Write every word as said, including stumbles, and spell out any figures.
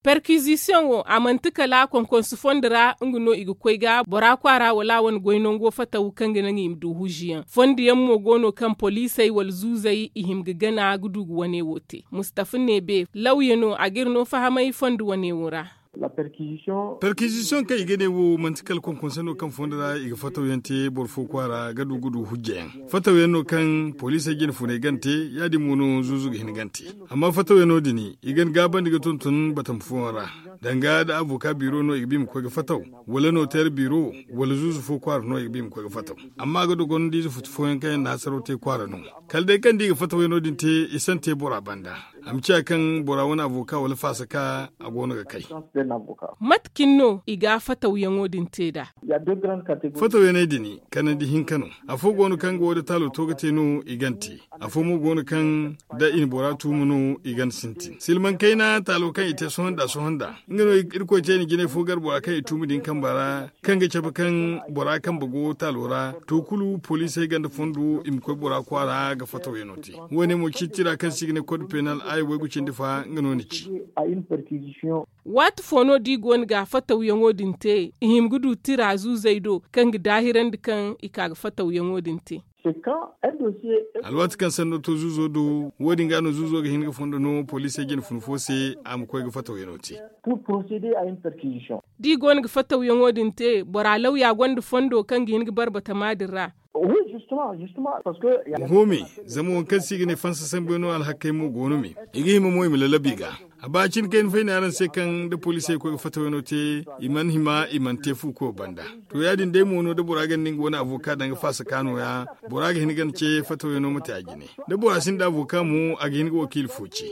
Perkizisiyoŋo a manti kala konkonsu fondo ra nga no i ga koy ga bora kwaara wala a wane goy nango fataw kaŋ ga naŋ i ma du hujiyaŋ. Fondo yaŋ mo go no kaŋ poliisey wala zuuzey i hima ga gana ga du ga wane wo te. Mustafa neebe lawya no a ga iri no fahamay fondo wane wo ra. Perkizisiyoŋ kaŋ i ga ne wo manti kala konkonsu no kaŋ fondo ra i ga fataw yaŋ te boro fo kwaara ga du ga du hujja yaŋ. Fataw yaŋ no kaŋ poliisey jine funay gana te, ya- din mo no zuuzu ga hin gana te. Amma fataw yaŋo din i gana gaabandi ga tonton batama fooyaŋ ra, danga nda avoka biiro no i ga ba i ma koy ga fataw, wala noteer biiro, wala zuuzu fo kwaara no i ga ba i ma koy ga fataw. Amma a ga dogonandiize futu fooyaŋ kaŋ yaŋ na hasaraw te kwaara no. Kala day kaŋ da i ga fataw yaŋo din te, i si a te bora banda, a ma ciya kaŋ bora wane avoka wala faasaka a go no ga kay. Mate cine no i ga fatawyaŋo din te nd'a? Fatawyaney din kanandi hinka no. Afo go no kaŋ ga wo- din taalo to ga te no i gana te. Afo mo go no kaŋ da i na bora tuumu no i gana sintin silmaŋ kayna taalo kaŋ i te sohõ nda sohõ nda, nga no irkoy te i na jinay fo gar bora kaŋ i tuumu din kamba ra, kaŋ ga cabe kaŋ bora kambe go taalo ra. To kulu poliisey ganda fondo i ma koy bora kwaara ga fatawyaŋo te. Wo- ne mo ci tira kaŋ se i ga ne kod peenal aya waygu cindi fa nga no ni ci. Waati fo no da i go no ga fatawyaŋo din te i hima ga du tira zuuzey do kaŋ ga daahirandi kaŋ i ka ga fatawyaŋo din te? Alwaati kaŋ sanno to zuuzo do, wo- din ga no zuuzo ga hin ga fondo no poliisey jine fun fo se a ma koy ga fatawyaŋo te. Da i go no ga fatawyaŋo din te bora lawya gonda fondo kaŋ ga hin ga barbatama din ra? Oho me, zama waŋ kaŋ se i ga ne fansa sambuyaŋo alhakey mo go no me. I ga hima mo i ma lalabu i ga. A ba cine kayna fay ne araŋ se kaŋ da poliisey koy ga fatawyaŋo te, i mana hima i mana te fuuko banda. To ya-din day mo no da bora ganda nga wane avoka danga faasaka no- ya, bora ga hin gana ce fatawyaŋo ma te a jine. Da bora sinda avoka mo a ga hin ga wakiila fo ce.